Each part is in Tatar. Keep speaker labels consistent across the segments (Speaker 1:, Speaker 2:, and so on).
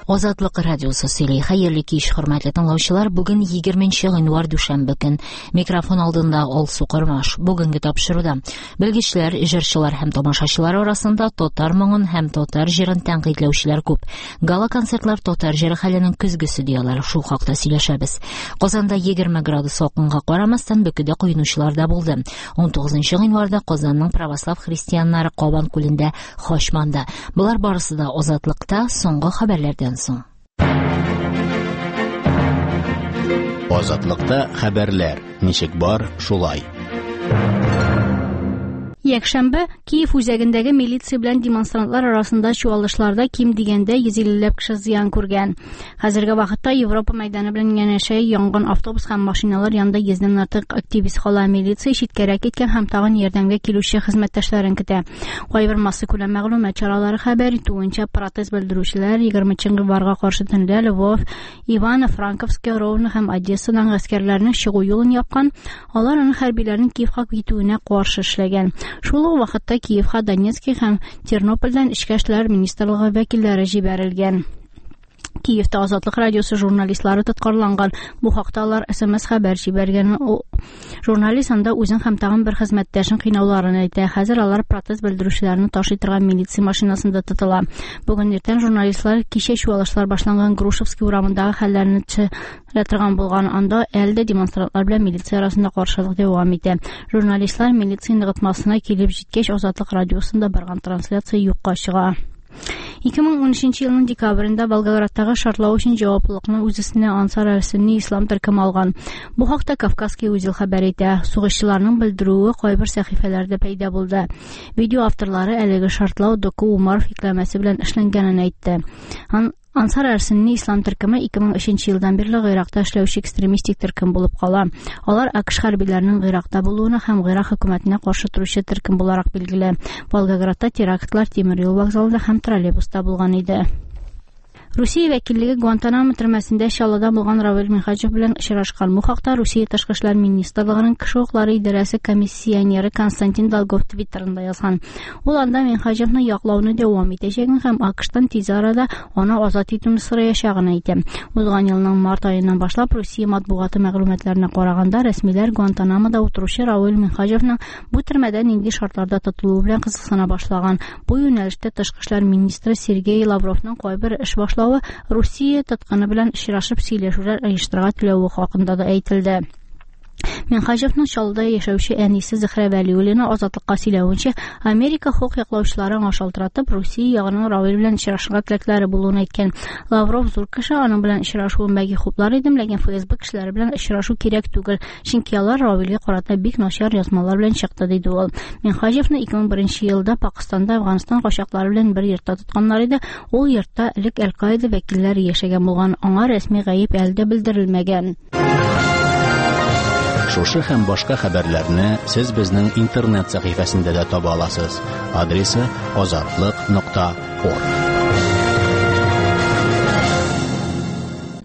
Speaker 1: Азатлык радиосы сөйли. Хәерле кич, хөрмәтле тыңлаучылар. Бүген 20 гыйнвар дүшәмбе көн. Микрофон алдында Алсу Кормаш. Бүгенге тапшыруда белгечләр, җырчылар һәм тамашачылар арасында татар моңын һәм татар җырын тәнкыйтьләүчеләр күп. Гала-концертлар татар җыры хәленең көзгесе дияләр. Шул хакта сөйләшәбез. Казанда 20 градус салкынга карамастан, бөкедә коенучылар да булды. 19 гыйнварда Казанның православ христианнары Кабан күлендә Хачманда. Болар барысы да Азатлыкта соңгы хәбәрләрдән соң.
Speaker 2: Азатлыкта хәбәрләр ничек бар, шулай.
Speaker 3: Якшәмбе Киев үзәгендәге милиция белән демонстрантлар арасында чуалышларда ким дигәндә 150 ләп кеше зыян күргән. Хәзерге вакытта Европа мәйданы белән янәшә янган автобус һәм машиналар янында йөздән артык активист кала. Милиция читкәрәк киткән һәм тагын ярдәмгә килүче хезмәттәшләрен көтә. Кайбер массакүләм мәгълүмат чаралары хәбәр итүенчә, протест белдерүчеләр 20 гыйнварга каршы төнлә Львов, Ивано-Франковск, Ровно һәм Одессадан гаскәрләрнең чыгу юлын япкан. Алар аны хәрбиләрнең Киевка китүенә каршы эшләгән. Шул ук вакытта Киевка Донецк һәм Тернопольдән Эчке эшләр министрлыгы вәкилләре җибәрелгән. Киевта Азатлык радиосы журналистлары тоткарланган. Бу хакта алар СМС хәбәр җибәргән. Журналист анда үзен һәм тагын бер хезмәттәшен кыйнауларын әйтә. Хәзер алар протест белдерүчеләрне ташый торган милиция машинасында тотыла. Бүген иртән журналистлар кичә чуалышлар башланган Грушевский урамындагы хәлләрне төшерә торган булган. Анда әле дә демонстрантлар белән милиция арасында каршылык дәвам итә. Журналистлар милиция ныгытмасына килеп җиткәч, Азатлык радиосында барган трансляция юкка чыга. 2013 елның декабрендә Волгоградтагы шартлау өчен җаваплылыкны үз өстенә Ансар әл-Сөнни ислам төркеме алган. Бу хакта Кавказский узел хәбәр итә. Сугышчыларның белдерүе кайбер сәхифәләрдә пәйда булды. Видео авторлары әлеге шартлау Доку Умаров йөкләмәсе белән эшләнгәнен әйтте. Ансар әл-Сөнни ислам төркеме 2003 елдан бирле Гыйракта эшләүче экстремистик төркем булып кала. Алар АКШ хәрбиләренең Гыйракта булуына һәм Гыйрак хөкүмәтенә каршы торучы төркем буларак билгеле. Волгоградта терактлар тимер юл вокзалында һәм троллейбуста булган иде. Русия вәкиллеге Гуантанамо төрмәсендә Чаллыда булган Равил Минһаҗев белән очрашкан. Бу хакта Русия Тышкы эшләр министрлыгының кеше хокуклары идарәсе комиссионеры Константин Долгов Твиттерында язган. Ул анда Минһаҗевны яклауны дәвам итәчәген һәм АКШтан тиз арада аны азат итүне сораячагын әйтә. Узган елның март аеннан башлап Русия матбугаты мәгълүматларына караганда, рәсмиләр Гуантанамода утыручы Равил Минһаҗевның бу төрмәдә нинди шартларда тотылуы белән кызыксына башлаган. Бу юнәлештә Тышкы эшләр министры Сергей Лавровның кайбер эш башлавы Русия тоткыны белән очрашып сөйләшүләр оештырырга теләве хакында да әйтелде. Минһаҗевның Чаллыда яшәүче әнисе Зөһрә Вәлиуллина Азатлыкка сөйләвенчә, Америка хокук яклаучылары аңа шалтыратып, Русия ягының Равил белән очрашырга теләкләре булуын әйткән. Лавров зур кеше, аның белән очрашуын бәлки хуплар идем, ләкин ФСБ кешеләре белән очрашу кирәк түгел, чөнки алар Равилгә карата бик начар язмалар белән чыкты, диде ул. Минһаҗевны 2001 елда Пакыстанда Әфганстан качаклары белән бер йортта тотканнар иде. Ул йортта элек Әл-Каида вәкилләре яшәгән булган. Аңа рәсми гаеп әле дә белдерелмәгән.
Speaker 2: Шушы һәм башка хәбәрләрне сез безнең интернет сәхифәсендә дә таба аласыз. Адресы азатлык.орг.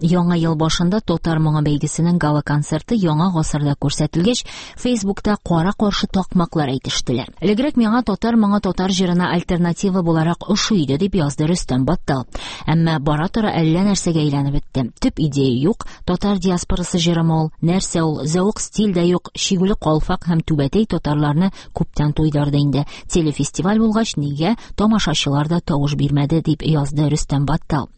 Speaker 1: Яңа ел башында Татар моңы бәйгесенең гала-концерты яңа гасырда күрсәтелгәч, Фейсбукта кара-каршы такмаклар әйтештеләр. Элегрәк миңа Татар моңы татар җырына альтернатива буларак ошый иде, дип язды Рөстәм Баттал. Әмма бара-тора әллә нәрсәгә әйләнеп бетте. Төп идея юк, татар диаспорасы җырымы ул, нәрсә ул, зәвык стиль дә юк, чигүле калфак һәм түбәтәй татарларны күптән туйдырды инде. Телефестиваль булгач, нигә тамашачылар да тавыш бирмәде, дип язды Рөстәм Баттал.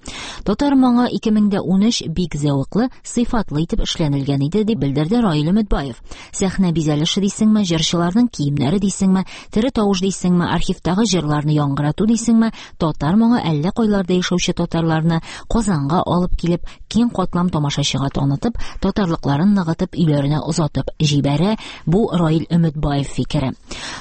Speaker 1: Татар моңы 2013 бик зәвыклы, сыйфатлы итеп эшләнелгән иде, дип белдерде Раил Өметбаев. Сәхнә бизәлеше дисеңме, җырчыларның киемнәре дисеңме, тере тавыш дисеңме, архивтагы җырларны яңгырату дисеңме, татар моңы әллә кайларда яшәүче татарларны Казанга алып килеп, киң катлам тамашачыга танытып, татарлыкларын ныгытып, өйләренә озатып җибәрә. Бу Раил Өметбаев фикере.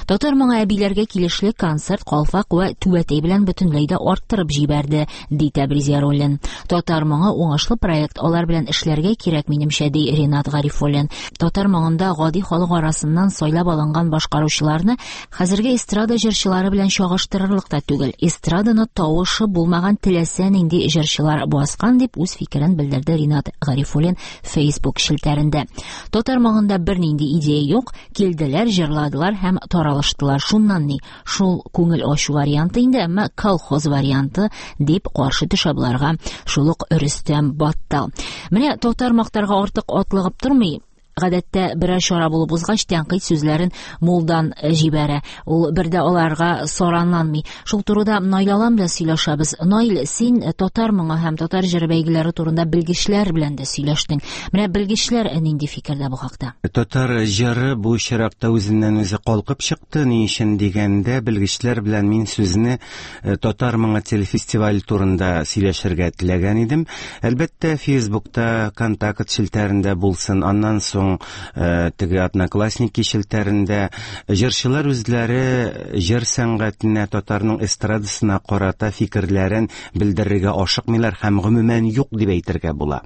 Speaker 1: Татар моңы әбиләргә килешле концерт калфак вә түбәтәй белән бөтенләй дә арттырып җибәрде, ди Тәбриз Яруллин. Татар моңы уңышлы проект, алар белән эшләргә кирәк, минемчә, ди Ринат Гарифуллин. Татар моңында гади халык арасыннан сайлап алынган башкаручыларны хәзерге эстрада җырчылары белән чагыштырырлык та түгел. Эстраданы тавышы булмаган теләсә нинди җырчылар баскан, дип үз фикерен белдерде Ринат Гарифуллин Facebook челтәрендә. Татар моңында бернинди идея юк, килделәр, җырладылар һәм таралыштылар. Шуннан ни? Шул күңел ачу варианты инде, әмма колхоз варианты дип каршы төшә боларга шул ук Рөстәм Баттал. Менә татар мактарга артык атлыгып тормый. Гадәттә берәр чара булып узгач, тәнкыйть сүзләрен мулдан җибәрә. Ул бер дә аларга саранланмый. Шул турыда Наил Алан белән сөйләшәбез. Наил, син татар моңы һәм татар җыры бәйгеләре турында белгечләр белән дә сөйләштең. Менә белгечләр нинди фикердә бу хакта?
Speaker 4: Татар җыры бу очракта үзеннән-үзе калкып чыкты. Ни өчен дигәндә, белгечләр белән мин сүзне Татар моңы телефестивале турында сөйләшергә теләгән идем. Әлбәттә, Фейсбукта, Контакт челтәрендә булсын, аннан соң теге Одноклассники челтәрендә җырчылар үзләре җыр сәнгатенә, татарның эстрадасына карата фикерләрен белдерергә ашыкмыйлар һәм гомумән юк дип әйтергә була.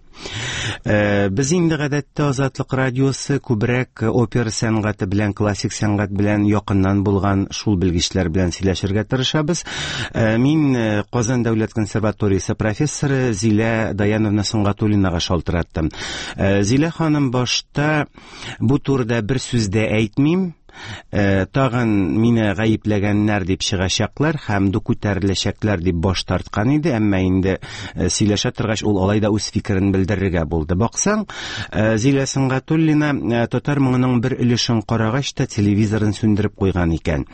Speaker 4: Без инде гадәттә Азатлык радиосы күбрәк опера сәнгате белән, классик сәнгать белән якыннан булган шул белгечләр белән сөйләшергә тырышабыз. Мин Казан дәүләт консерваториясе профессоры Зилә Даяновна Сөнгатуллинага шалтыраттым. Зилә ханым башта бу турыда бер сүз дә әйтмим, Тагын мине гаепләгәннәр дип чыгачаклар һәм ду күтәреләчәкләр дип баш тарткан иде, әмма инде сөйләшә торгач ул алай да үз фикерен белдерергә булды. Баксаң, Зилә Сөнгатуллина татар моңының бер өлешен карагач та телевизорын сүндереп куйган икән.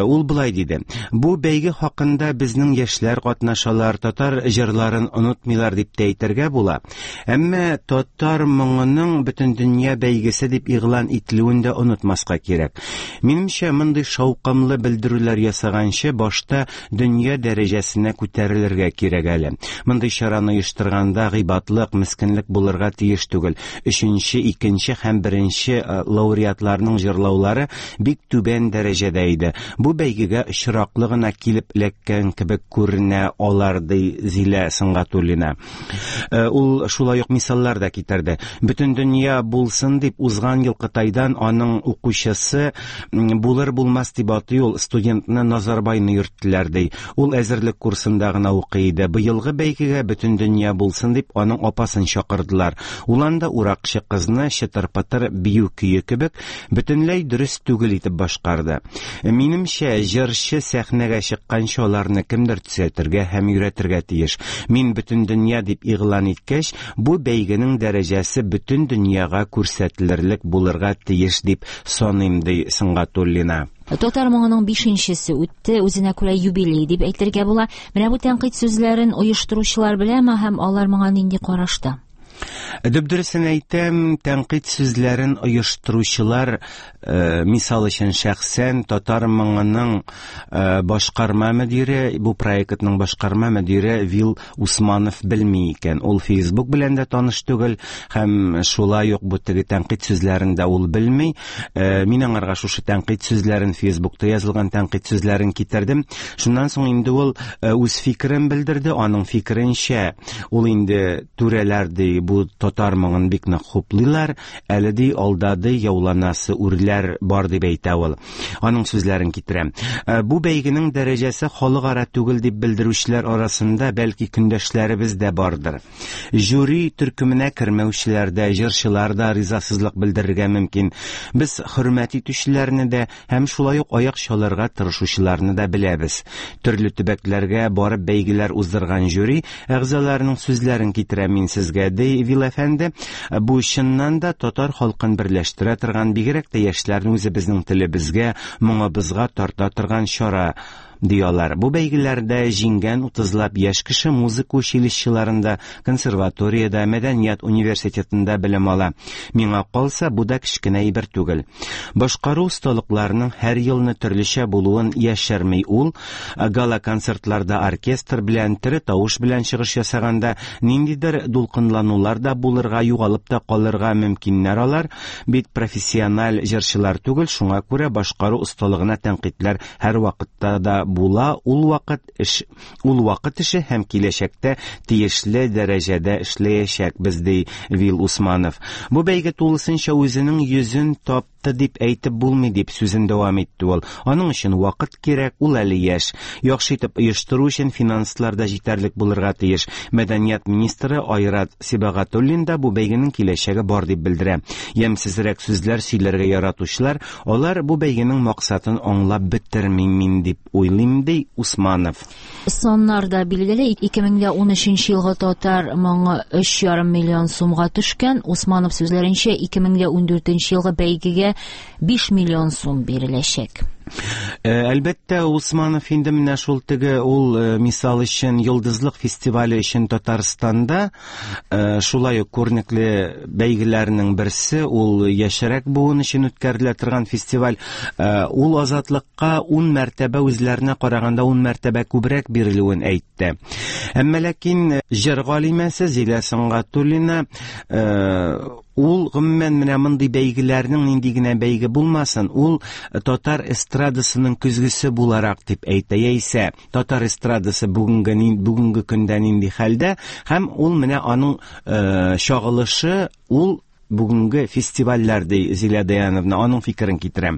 Speaker 4: Ул болай диде: "Бу бәйге хакында безнең яшьләр катнашалар, татар җырларын онытмыйлар дип тә әйтергә була. Әмма татар моңының бөтендөнья бәйгесе дип игълан ителүен дә онытмаска кирәк. Минемчә, мондый шаукымлы белдерүләр ясаганчы, башта дөнья дәрәҗәсенә күтәрелергә кирәк әле. Мондый чараны оештырганда гыйбатлык, мескенлек булырга тиеш түгел. Өченче, икенче һәм беренче лауреатларның җырлаулары бик түбән дәрәҗәдә иде. Бу бәйгегә очраклы гына килеп эләккән кебек күренә алар, ди Зилә Сөнгатуллина. Ул шулай ук мисаллар да китерде. Бөтен дөнья булсын дип узган ел Кытайдан аның укучысы булыр булмас дип атый ул студентны Назарбайны йөрттеләр ди. Ул әзерлек курсында гына укый иде. Быелгы бәйгегә бөтен дөнья булсын дип аның апасын чакырдылар. Ул анда уракчы кызны чытыр-пытыр бию көе кебек бөтенләй дөрес түгел итеп башкарды. Минемчә, җырчы сәхнәгә чыкканчы аларны кемдер төзәтергә һәм өйрәтергә тиеш. Мин бөтендөнья дип игълан иткәч, бу бәйгенең дәрәҗәсе бөтен дөньяга күрсәтелерлек булырга тиеш дип саныйм, ди Сөнгатуллина.
Speaker 1: Татар моңының бишенчесе үтте, үзенә күрә юбилей дип әйтергә була. Менә бу тәнкыйть сүзләрен оештыручылар беләме һәм алар моңа нинди карашта?
Speaker 4: Дөп-дөресен әйтәм, тәнкыйть сүзләрен оештыручылар, мисал өчен, шәхсән Татар моңының башкарма мөдире, бу проектның башкарма мөдире Вил Усманов белми икән. Ул Facebook белән дә таныш түгел һәм шулай ук бу теге тәнкыйть сүзләрен дә ул белми. Мин аңарга шушы тәнкыйть сүзләрен, Facebookта язылган тәнкыйть сүзләрен китердем. Шуннан соң инде ул үз фикерен белдерде. Аның фикеренчә, ул инде түрәләр ди бу татар моңын бик нык хуплыйлар, әле ди алда ди яуланасы үрләр бар дип әйтә ул. Аның сүзләрен китерәм. Бу бәйгенең дәрәҗәсе халыкара түгел дип белдерүчеләр арасында бәлки көндәшләребез дә бардыр. Жюри төркеменә кермәүчеләр дә, җырчылар да ризасызлык белдерергә мөмкин. Без хөрмәт итүчеләрне дә, Һәм шулай ук аяк чалырга тырышучыларны да беләбез. Төрле төбәкләргә барып бәйгеләр уздырган жюри әгъзаларының сүзләрен китерәм мин сезгә, ди Вил әфәнде. Бу чыннан да татар халкын берләштерә торган, бигрәк тә яшьләрне үзебезнең телебезгә, моңыбызга тарта торган чара, ди алар. Бу бәйгеләрдә җиңгән утызлап яшь кеше музыка училищеларында, консерваториядә, мәдәният университетында белем ала. Миңа калса, бу да кечкенә әйбер түгел. Башкару осталыкларының һәр елны төрлечә булуын яшерми ул. Гала-концертларда оркестр белән, тере тавыш белән чыгыш ясаганда ниндидер дулкынланулар да булырга, югалып та калырга мөмкиннәр алар. Бит профессиональ җырчылар түгел, шуңа күрә башкару осталыгына тәнкыйтьләр һәрвакытта да була, ул вакыт эш, ул вакыт эше һәм киләчәктә тиешле дәрәҗәдә эшләячәкбез, ди Вил Усманов. Бу бәйге тулысынча үзенең йөзен тапты дип әйтеп булмый, дип сүзен дәвам итте ул. Аның өчен вакыт кирәк, ул әле яшь. Яхшы итеп оештыру өчен финанслар да җитәрлек булырга тиеш. Мәдәният министры Айрат Сибагатуллин да бу бәйгенең киләчәге бар дип белдерә. Ямьсезрәк сүзләр сөйләргә яратучылар, алар бу бәйгенең максатын аңлап бетерми мин дип уйлыйм, ди Усманов.
Speaker 1: Саннар да билгеле, 2013 елгы татар моңы 3,5 миллион сумга төшкән. Усманов сүзләренчә, 2014 елгы бәйгегә 5 миллион сум биреләчәк.
Speaker 4: Әлбәттә, Усманов инде менә шул теге ул мисал өчен Йолдызлык фестивале өчен Татарстанда шулай ук күренекле бәйгеләрнең берсе, ул яшьрәк буын өчен үткәрелә торган фестиваль. Ул Азатлыкка 10 мәртәбә үзләренә караганда 10 мәртәбә күбрәк бирелүен әйтте. Әмма ләкин җыр галимәсе Зилә Сөнгатуллина ул гомумән менә мондый бәйгеләрнең нинди генә бәйге булмасын, ул татар эстрадасының көзгесе буларак дип әйтә, яисә татар эстрадасы бүгенге бүгенге көндә нинди хәлдә, һәм ул менә аның чагылышы ул бүгенге фестивальләр, ди Зилә Даяновна, аның фикерен китерәм.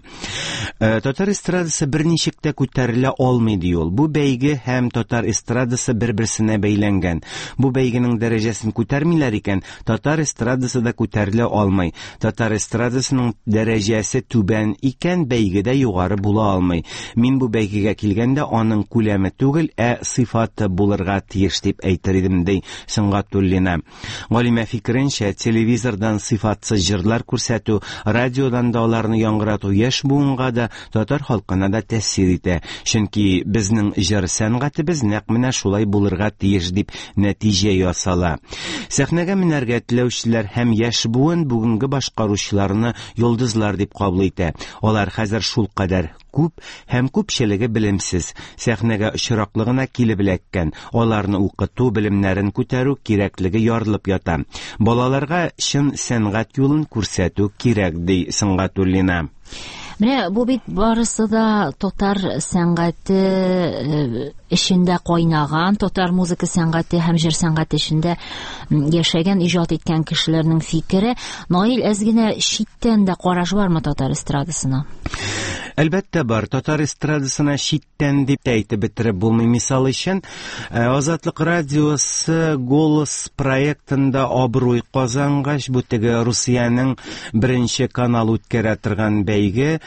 Speaker 4: Татар эстрадасы берничек тә күтәрелә алмый, ди ул. Бу бәйге һәм татар эстрадасы бер-берсенә бәйләнгән. Бу бәйгенең дәрәҗәсен күтәрмиләр икән, татар эстрадасы да күтәрелә алмый. Татар эстрадасының дәрәҗәсе түбән икән, бәйге дә югары була алмый. Мин бу бәйгегә килгәндә аның күләме түгел, ә сыйфаты булырга тиеш дип әйтер идем, ди Сөнгатуллина. Галимә фикеренчә, телевизордан сыйфатсыз җырлар күрсәтү, радиодан да аларны яңгырату яшь буынга да, татар халкына да тәэсир итә. Чөнки безнең җыр сәнгатебез нәкъ менә шулай булырга тиеш дип нәтиҗә ясала. Сәхнәгә менәргә теләүчеләр һәм яшь буын бүгенге башкаручыларны йолдызлар дип кабул итә. Алар хәзер шулкадәр күп һәм күпчелеге белемсез, сәхнәгә очраклы гына килеп эләккән. Аларны укыту, белемнәрен күтәрү кирәклеге ярылып ята. Балаларга чын сәнгать юлын күрсәтү кирәк, ди Сөнгатуллина.
Speaker 1: Менә бу бит барысы да татар сәнгате эчендә кайнаган, татар музыка сәнгате һәм җыр сәнгате эчендә яшәгән, иҗат иткән кешеләрнең фикере. Наил, әз генә читтән дә караш бармы татар эстрадасына?
Speaker 4: Әлбәттә бар. Татар эстрадасына читтән дип тә әйтеп бетереп булмый. Мисал өчен, Азатлык радиосы Голос проектында абруй казангач, бу теге Русиянең беренче канал үткәрә торган бәйге,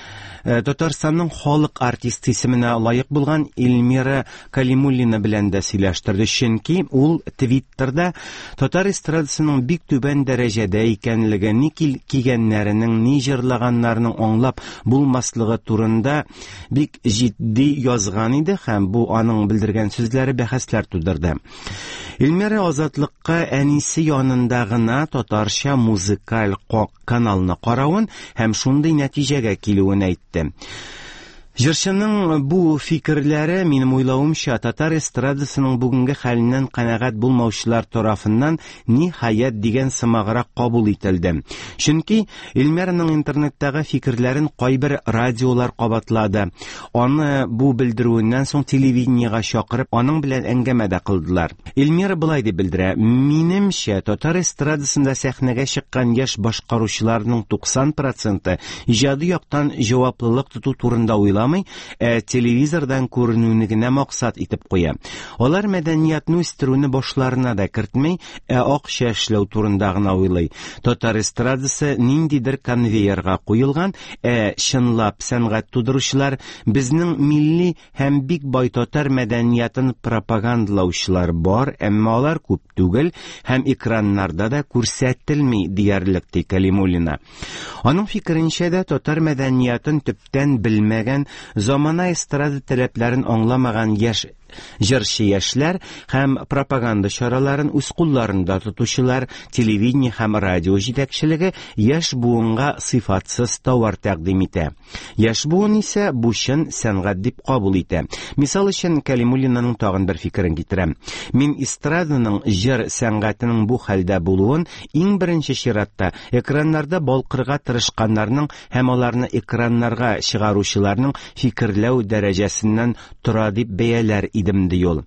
Speaker 4: Татарстанның халык артисты исеменә лаек булган Эльмира Калимуллина белән дә сөйләштерде, чөнки ул Твиттерда татар эстрадасының бик түбән дәрәҗәдә икәнлеге, ни кигәннәренең, ни җырлаганнарының аңлап булмаслыгы турында бик җитди язган иде һәм бу аның белдергән сүзләре бәхәсләр тудырды. Эльмира Азатлыкка әнисе янында гына татарча музыкаль каналны каравын һәм шундый нәтиҗәгә килүен әйтте. Җырчының бу фикерләре, минем уйлавымча, татар эстрадасының бүгенге хәленнән канәгать булмаучылар тарафыннан ниһаять дигән сымаграк кабул ителде. Чөнки Эльмираның интернеттагы фикерләрен кайбер радиолар кабатлады. Аны бу белдерүеннән соң телевидениегә чакырып, аның белән әңгәмә дә кылдылар. Эльмира былай дип белдерә: "Минемчә, татар эстрадасында сәхнәгә чыккан яшь башкаручыларның 90% иҗади яктан җаваплылык тоту турында уйламый, ә телевизордан күренүне генә максат итеп куя. Алар мәдәниятне үстерүне башларына да кертми, ә акча эшләү турында гына уйлый. Татар эстрадасы ниндидер конвейерга куелган, ә чынлап сәнгать тудыручылар безнең милли һәм бик бай татар мәдәниятын пропагандалаучылар бар, әмма алар күп түгел һәм экраннарда да күрсәтелми диярлек, ди Калимуллина. Аның фикеренчә дә татар мәдәниятын төптән белмәгән, замана эстрада таләпләрен аңламаган яшь Җырчы яшьләр һәм пропаганда чараларын үз кулларында тотучылар, телевидение һәм радио җитәкчелеге яшь буынга сыйфатсыз товар тәкъдим итә. Яшь буын исә бу чын сәнгать дип кабул итә. Мисал өчен, Кәлимуллинаның тагын бер фикерен китерәм. Мин эстраданың җыр сәнгатенең бу хәлдә булуын иң беренче чиратта экраннарда балкырга тырышканнарның һәм аларны экраннарга чыгаручыларның фикерләү дәрәҗәсеннән тора дип бәяләр идем, ди ул.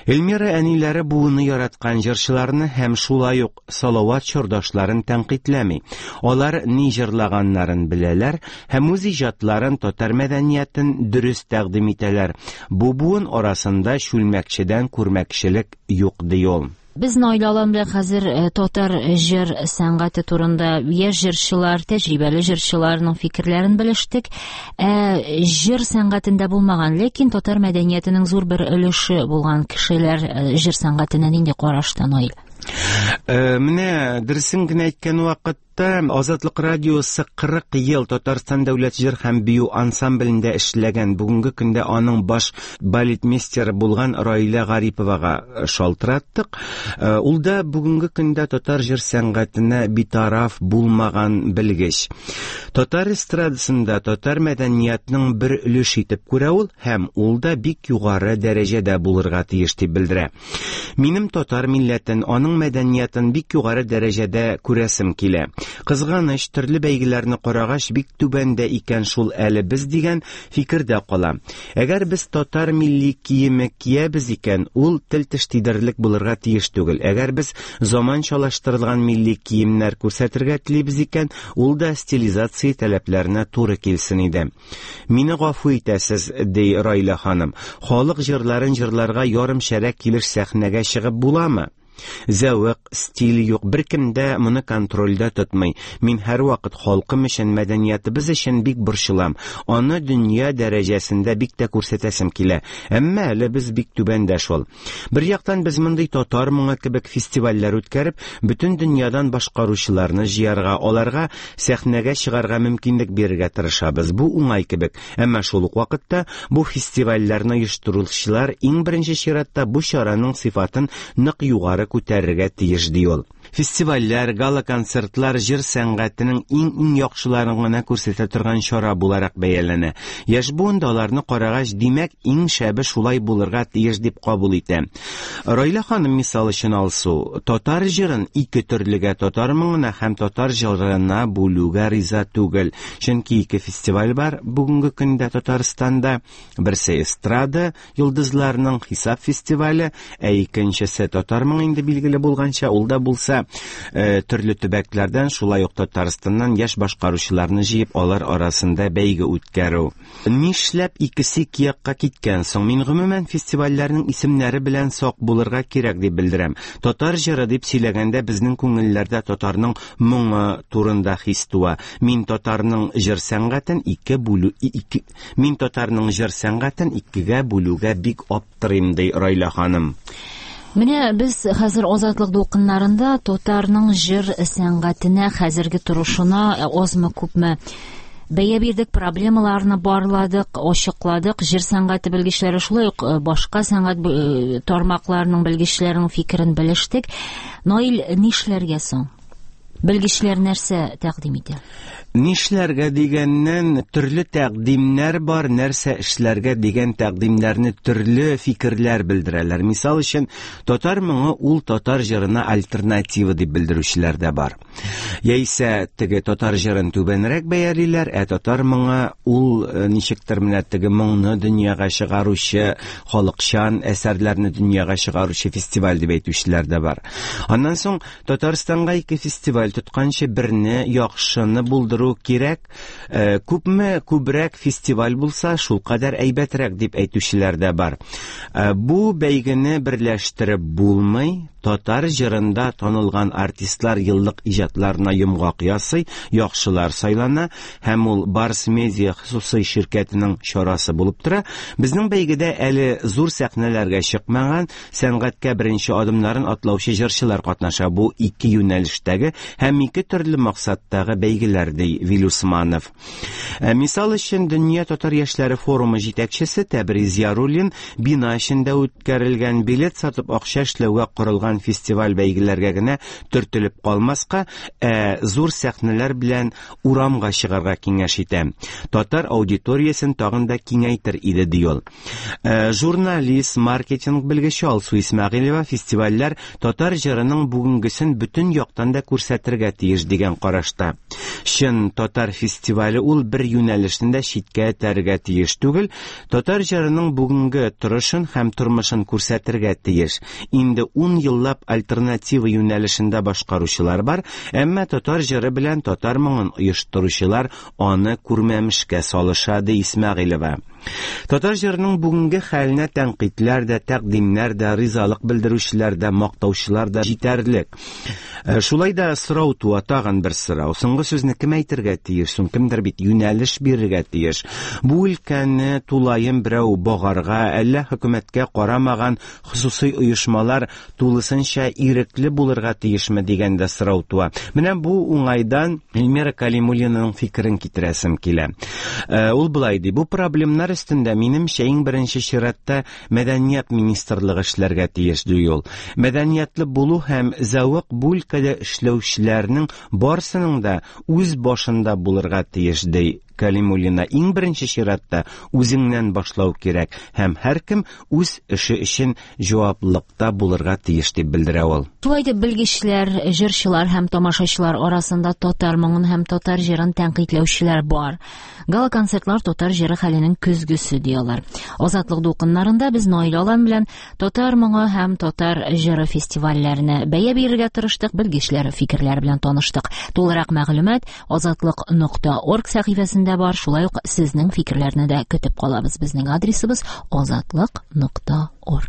Speaker 4: Эльмира әниләре буыны яраткан җырчыларны һәм шулай ук Салават чордашларын тәнкыйтьләми. Алар ни җырлаганнарын беләләр һәм үз иҗатларын, татар мәдәниятен дөрес тәкъдим итәләр. Бу буын арасында чүлмәкчедән күрмәкчелек юк, ди ул.
Speaker 1: Без Наил Алан белән хәзер татар җыр сәнгате турында яшь җырчылар, тәҗрибәле җырчыларның фикерләрен белештек. Ә җыр сәнгатендә булмаган, ләкин татар мәдәниятенең зур бер өлеше булган кешеләр җыр сәнгатенә нинди карашта, Наил?
Speaker 4: Менә дөресен генә әйткән вакыт Азатлык радиосы 40 ел Татарстан дәүләт җыр һәм бию ансамблендә эшләгән, бүгенге көндә аның баш балетмейстеры булган Раилә Гариповага шалтыраттык. Ул да бүгенге көндә татар җыр сәнгатенә битараф булмаган белгеч. Татар эстрадасында татар мәдәниятының бер өлеше итеп күрә ул һәм ул да бик югары дәрәҗәдә булырга тиеш дип белдерә. Минем татар милләтен, аның мәдәниятын бик югары дәрәҗәдә күрәсем килә. Кызганыч, төрле бәйгеләрне карагач, бик түбәндә икән шул әле без дигән фикердә кала. Әгәр без татар милли киеме киябез икән, ул тел-теш тидерерлек булырга тиеш түгел. Әгәр без заманчалаштырылган милли киемнәр күрсәтергә телибез икән, ул да стилизация таләпләренә туры килсен иде. Мине гафу итәсез, ди Райлә ханым. Халык җырларын җырларга ярым шәрә килеш сәхнәгә чыгып буламы? Зәвык, стиль юк, беркем дә моны контрольдә тотмый. Мин һәрвакыт халкым өчен, мәдәниятыбыз өчен бик борчылам. Аны дөнья дәрәҗәсендә бик тә күрсәтәсем килә. Әмма әле без бик түбәндә шул. Бер яктан без мондый татар моңы кебек фестивальләр үткәреп, бөтен дөньядан башкаручыларны җыярга, аларга сәхнәгә чыгарга мөмкинлек бирергә тырышабыз. Бу уңай кебек. Әмма шул ук вакытта бу фестивальләрне оештыручылар иң беренче чиратта бу чараның сыйфатын нык югары күтәрергә тиеш, ди ул. Фестивальләр, гала-концертлар җыр сәнгатенең иң-иң яхшыларын гына күрсәтә торган чара буларак бәяләнә. Яшь буын да аларны карагач, димәк, иң шәбе шулай булырга тиеш дип кабул итә. Райлә ханым мисал өчен Алсу, татар җырын ике төрлегә, татар моңына һәм татар җырына бүлүгә риза түгел. Чөнки ике фестиваль бар бүгенге көндә Татарстанда. Берсе эстрада йолдызларының хисап фестивале, ә икенчесе татар моңы инде билгеле булганча, ул да булса төрле төбәкләрдән, шулай ук Татарстаннан яшь башкаручыларны җыеп, алар арасында бәйге үткәрү. Нишләп икесе ике якка киткән соң? Мин гомумән фестивальләрнең исемнәре белән сак булырга кирәк дип белдерәм. Татар җыры дип сөйләгәндә безнең күңелләрдә татарның моңы турында хис туа. Мин татарның җыр сәнгатен ике бүлү ике Мин татарның җыр сәнгатен икегә бүлүгә бик аптырыйм, ди Райлә ханым.
Speaker 1: Менә без хәзер Азатлык дулкыннарында татарның җыр сәнгатенә, хәзерге торышына азмы-күпме бәя бирдек, проблемаларны барладык, ачыкладык. Җыр сәнгате белгечләре, шулай ук башка сәнгать тармакларының белгечләренең фикерен белештек. Наил, нишләргә соң? Белгечләр нәрсә тәкъдим итә?
Speaker 4: Нишләргә дигәннән, төрле тәкъдимнәр бар, нәрсә эшләргә дигән тәкъдимнәрне төрле фикерләр белдерәләр. Мисал өчен, татар моңы ул татар җырына альтернатива дип белдерүчеләр дә бар. Яисә теге татар җырын түбәнрәк бәялиләр, ә татар моңы ул ничектер менә теге моңны дөньяга чыгаручы, халыкчан әсәрләрне дөньяга чыгаручы фестиваль дип әйтүчеләр дә бар. Аннан соң Татарстанга ике фестиваль тотканчы берне яхшыны булдыру кирәк. Күпме күбрәк фестиваль булса, шулкадәр әйбәтрәк дип әйтүчеләр дә бар. Бу бәйгене берләштереп булмый. Татар җырында танылган артистлар еллык иҗатларына йомгак ясый, яхшылар сайлана һәм ул Барс Медиа хосусый ширкәтенең чарасы булып тора. Безнең бәйгедә әле зур сәхнәләргә чыкмаган, сәнгатькә беренче адымнарын атлаучы җырчылар катнаша. Бу ике юнәлештәге һәм ике төрле максаттагы бәйгеләр, ди Вил Усманов. Мисал өчен, Дөнья татар яшьләре форумы җитәкчесе Тәбриз Яруллин бина эчендә үткәрелгән билет сатып акча эшләүгә корылган фестиваль бәйгеләргә генә төртелеп калмаска, ә зур сәхнәләр белән урамга чыгарга киңәш итә. Татар аудиториясен тагын да киңәйтер иде, ди ул. Журналист, маркетинг белгече Алсу Исмәгыйлева фестивальләр татар җырының бүгенгесен бөтен яктан да күрсәтергә тиеш дигән карашта. Чын татар фестивале ул бер юнәлешне дә читкә этәрергә тиеш түгел, татар җырының бүгенге торышын һәм тормышын күрсәтергә тиеш. Инде 10 еллап альтернатива юнәлешендә башкаручылар бар, әмма татар җыры белән татар моңын оештыручылар аны күрмәмешкә салыша, ди Исмәгыйлева. Татар җырының бүгенге хәленә тәнкыйтьләр дә, тәкъдимнәр дә, ризалык белдерүчеләр дә, мактаучылар да җитәрлек. Шулай да сорау туа, тагын бер сорау. Соңгы сүзне кем әйтергә тиеш? Соң кемдер бит юнәлеш бирергә тиеш. Бу өлкәне тулаем берәү багарга, әллә хөкүмәткә карамаган хосусый оешмалар тулысынча ирекле булырга тиешме дигән дә сорау туа. Менә бу уңайдан Эльмира Калимуллинаның фикерен китерәсем килә. Ул болай ди: бу проблемнар өстендә минемчә иң беренче чиратта мәдәният министрлыгы эшләргә тиеш, ди ул. Мәдәниятле булу һәм зәвык бу өлкәдә эшләүчеләрнең барсының да үз башында булырга тиеш, ди Калимуллина. Иң беренче чиратта үзеңнән башлау кирәк һәм һәркем үз эше өчен җаваплылыкта булырга тиеш, дип белдерә ул.
Speaker 1: Шулай итеп, белгечләр, җырчылар һәм тамашачылар арасында татар моңын һәм татар җырын тәнкыйтьләүчеләр бар. Гала-концертлар татар җыры хәленең көзгесе, ди алар. Азатлык дулкыннарында без Наил Алан белән татар моңы һәм татар җыры фестивальләренә бәя бирергә тырыштык, белгечләр фикерләре белән таныштык. Тулырак мәгълүмат азатлык.орг сәхифәсендә бар. Шулай ук сезнең фикерләрне дә көтеп калабыз. Безнең адресыбыз азатлык.орг.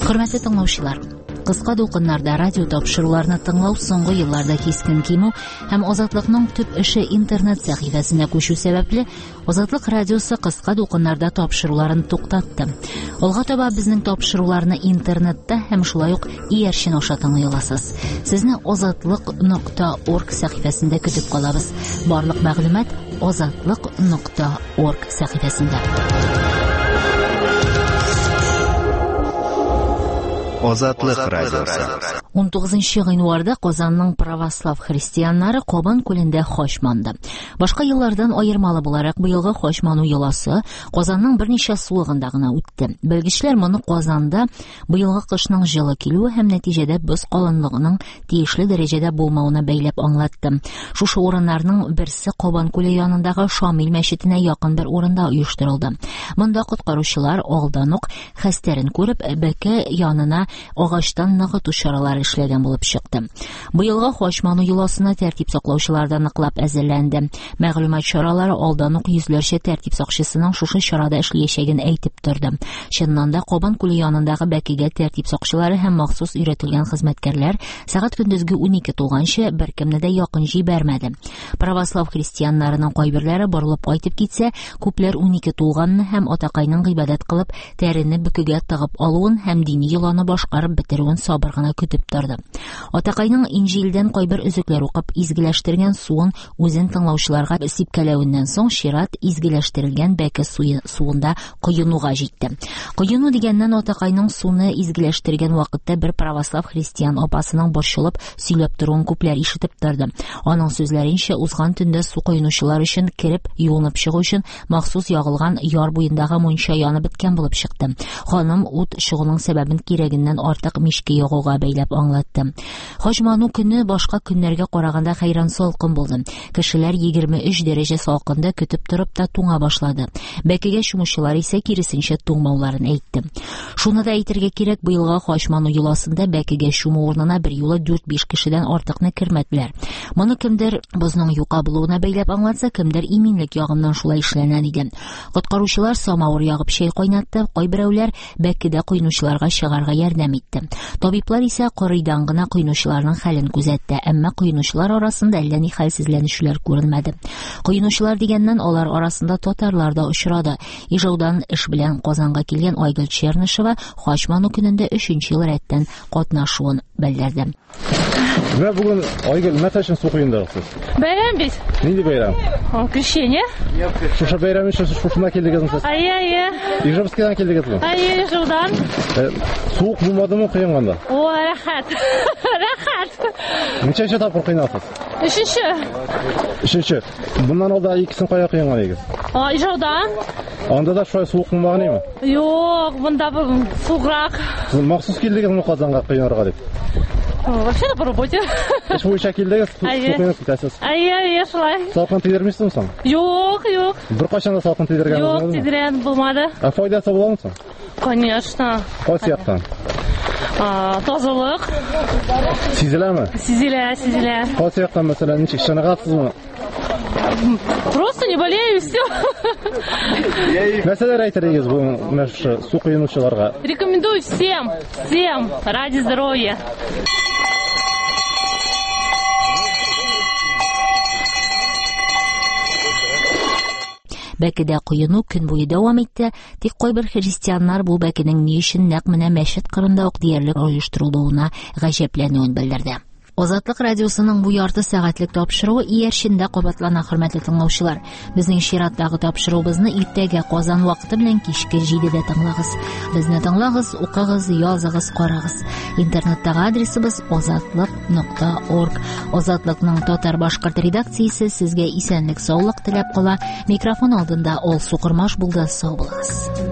Speaker 1: Хөрмәтле тыңлаучылар, кыска дулкыннарда радио тапшыруларны тыңлау соңгы елларда кискен кимү һәм Азатлыкның төп эше интернет сәхифәсенә күчү сәбәпле, Азатлык радиосы кыска дулкыннарда тапшыруларын туктатты. Алга таба безнең тапшыруларны интернетта һәм шулай ук иярчен аша тыңлый аласыз. Сезне azatliq.org сәхифәсендә көтеп калабыз. Барлык мәгълүмат azatliq.org сәхифәсендә.
Speaker 5: Азатлык радиосы.
Speaker 1: 19 гыйнварда Казанның православ христианнары Кабан күлендә хач манды. Башка еллардан аермалы буларак, быелгы хач ману йоласы Казанның берничә сулыгында гына үтте. Белгечләр моны Казанда быелгы кышның җылы килүе һәм нәтиҗәдә боз калынлыгының тиешле дәрәҗәдә булмавына бәйләп аңлатты. Шушы урыннарның берсе Кабан күле янындагы Шамил мәчетенә якын бер урында оештырылды. Монда коткаручылар алдан ук хәстәрен күреп, бәке янына агачтан ныгыту чаралары эшләгән булып чыкты. Быелгы хач ману йоласына тәртип саклаучылар да ныклап әзерләнде. Мәгълүмат чаралары алдан ук йөзләрчә тәртип сакчысының шушы чарада эшләячәген әйтеп торды. Чыннан да Кабан күле янындагы бәкегә тәртип сакчылары һәм махсус өйрәтелгән хезмәткәрләр сәгать көндезге 12 тулганчы беркемне дә якын җибәрмәде. Православ христианнарының кайберләре борылып кайтып китсә, күпләр 12 тулганны һәм атакайның гыйбадәт кылып, тәрене бөкегә тыгып алуын һәм дини йоланы башкарып бетерүен сабыр гына көтеп торды. Атакайның Инҗилдән кайбер өзекләр укып, изгеләштергән суын үзен тыңлаучыларга сипкәләвеннән соң чират изгеләштерелгән бәке суында коенуга җитте. Коену дигәннән атакайның суны изгеләштергән вакытта бер православ христиан апасының борчылып сөйләп торуын күпләр ишетеп торды. Аның сүзләренчә, узган төндә су коенучылар өчен кереп юынып чыгу өчен махсус ягылган яр буендагы мунча янып беткән булып чыкты. Ханым ут чыгуның сәбәбен кирәгеннән артык мичкә ягуга бәйләп аңлатты. Хач ману көне башка көннәргә караганда хәйран салкын булды. Кешеләр 23 дәрәҗә салкында көтеп торып та туңа башлады. Бәкегә чумучылар исә киресенчә туңмауларын әйтте. Шуны да әйтергә кирәк, быелгы хач ману йоласында бәкегә чуму урынына бер юлы 4-5 кешедән артыкны кермәделәр. Моны кемдер бозның юка булуына бәйләп аңлатса, кемдер иминлек ягыннан шулай эшләнә диде. Коткаручылар самавыр ягып чәй кайнатты, кайберәүләр бәкедә коенучыларга чыгарга ярдәм итте. Табиблар исә кырыйдан гына коенучыларның хәлен күзәтте, әмма коенучылар арасында әллә ни хәлсезләнүчеләр күренмәде. Коенучылар дигәннән алар арасында татарлар да очрады. Ижаудан эш белән Казанга килгән Айгөл Чернышева хач ману көнендә 3нче ел рәттән катнашуын белдерде.
Speaker 6: Менә бүген Айгөл нәрсә өчен су коендыгыз?
Speaker 7: Бәйрәм бит.
Speaker 6: Нинди бәйрәм?
Speaker 7: Крещение.
Speaker 6: Шушы бәйрәм өчен шушында килдегезме сез?
Speaker 7: Әйе, әйе.
Speaker 6: Ижевскийдан килдегезме?
Speaker 7: Әйе, Ижаудан.
Speaker 6: Суык булмадымы коенганда?
Speaker 7: О, рәхәт. Рәхәт.
Speaker 6: Ничәнче тапкыр коенасыз?
Speaker 7: Өченче.
Speaker 6: Өченче. Буннан алда икесен кая коенган идегез?
Speaker 7: Ижаудан.
Speaker 6: Анда да шулай суык булмаган име?
Speaker 7: Юк, монда суыграк.
Speaker 6: Сез махсус килдегезме Казанга коенырга дип?
Speaker 7: Вообще-то по работе.
Speaker 6: Эш буенча килдегез, су коенып китәсез.
Speaker 7: Әйе, әйе, шулай.
Speaker 6: Салкын тидермисезме соң?
Speaker 7: Юк, юк.
Speaker 6: Беркайчан да салкын тидергән
Speaker 7: булмадымы? Юк, тидергән булмады.
Speaker 6: Ә файдасы буламы соң?
Speaker 7: Конечно.
Speaker 6: Кайсы яктан?
Speaker 7: Тазалык.
Speaker 6: Сизеләме?
Speaker 7: Сизелә, сизелә.
Speaker 6: Кайсы яктан, мәсәлән, ничек чыныгасызмы?
Speaker 7: Просто не болею, и все.
Speaker 6: Нәрсәләр әйтер идегез бу менә шушы су коенучыларга?
Speaker 7: Рекомендую всем, всем ради здоровья.
Speaker 1: Бәкедә коену көн буе дәвам итте, тик кайбер христианнар бу бәкенең ни өчен нәкъ менә мәчет кырында ук диярлек оештырылуына гаҗәпләнүен белдерде. Азатлык радиосының бу ярты сәгатьлек тапшыруы иярчендә кабатлана, хөрмәтле тыңлаучылар. Безнең чираттагы тапшыруыбызны иртәгә Казан вакыты белән кичке 7-дә тыңлагыз. Безне тыңлагыз, укыгыз, языгыз, карагыз. Интернеттагы адресыбыз azatliq.org. Азатлыкның татар-башкорт редакциясе сезгә исәнлек, саулык теләп кала. Микрофон алдында Алсу Кормаш булды. Сау булыгыз.